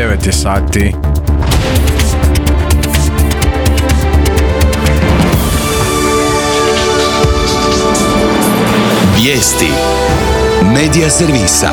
9 je sati. Vijesti Medija servisa.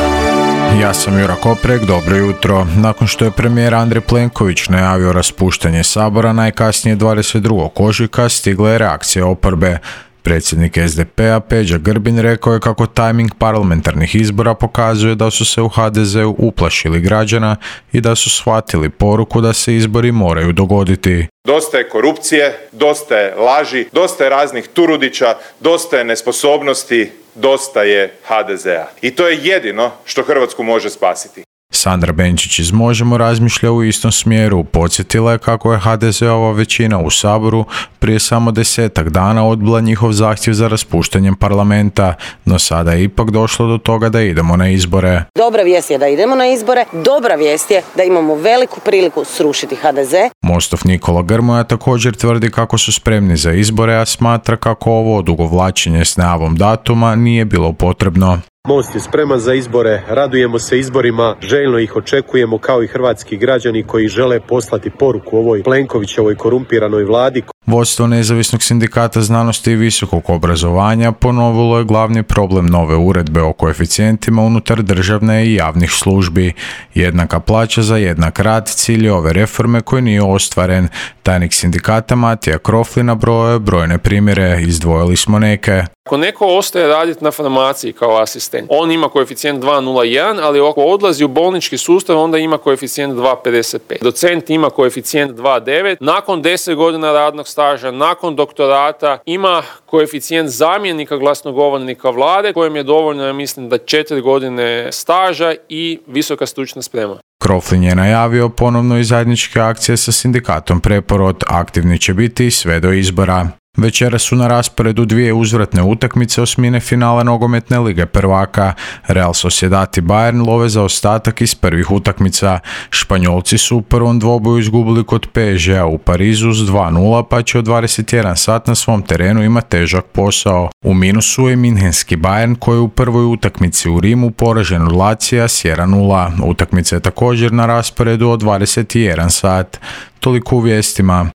Ja sam Jura Koprek, dobro jutro. Nakon što je premijer Andrej Plenković najavio raspuštanje Sabora, najkasnije 22. ožujka stigla je reakcija oporbe. Predsjednik SDP-a Peđa Grbin rekao je kako tajming parlamentarnih izbora pokazuje da su se u HDZ-u uplašili građana i da su shvatili poruku da se izbori moraju dogoditi. Dosta je korupcije, dosta je laži, dosta je raznih Turudića, dosta je nesposobnosti, dosta je HDZ-a. I to je jedino što Hrvatsku može spasiti. Sandra Benčić iz Možemo razmišlja u istom smjeru. Podsjetila je kako je HDZ-ova većina u Saboru prije samo 10 dana odbila njihov zahtjev za raspuštanjem parlamenta, no sada je ipak došlo do toga da idemo na izbore. Dobra vijest je da idemo na izbore, dobra vijest je da imamo veliku priliku srušiti HDZ. Mostov Nikola Grmoja također tvrdi kako su spremni za izbore, a smatra kako ovo odugovlačenje s najavom datuma nije bilo potrebno. Most je spreman za izbore, radujemo se izborima, željno ih očekujemo kao i hrvatski građani koji žele poslati poruku ovoj Plenkovićevoj korumpiranoj vladi. Vodstvo Nezavisnog sindikata znanosti i visokog obrazovanja ponovilo je glavni problem nove uredbe o koeficijentima unutar državne i javnih službi. Jednaka plaća za jednak rad cilj je ove reforme koji nije ostvaren. Tajnik sindikata Matija Krofli nabrojao je brojne primjere, izdvojili smo neke. Ako neko ostaje raditi na farmaciji kao asistent, on ima koeficijent 2,01, ali ako odlazi u bolnički sustav, onda ima koeficijent 2,55. Docent ima koeficijent 2,9. Nakon 10 godina radnog staža, nakon doktorata, ima koeficijent zamjenika glasnogovornika vlade, kojem je dovoljno, ja mislim, da 4 godine staža i visoka stručna sprema. Kroflin je najavio ponovno i zajedničke akcije sa sindikatom Preporod. Aktivni će biti sve do izbora. Večera su na rasporedu dvije uzvratne utakmice osmine finala nogometne lige prvaka. Real Sociedad i Bayern love za ostatak iz prvih utakmica. Španjolci su u prvom dvoboju izgubili kod PSG-a u Parizu s 2:0, pa će od 21 sat na svom terenu ima težak posao. U minusu je minhenski Bayern koji je u prvoj utakmici u Rimu poražen od Lacija s 1:0. Utakmica je također na rasporedu od 21 sat. Toliko u vijestima.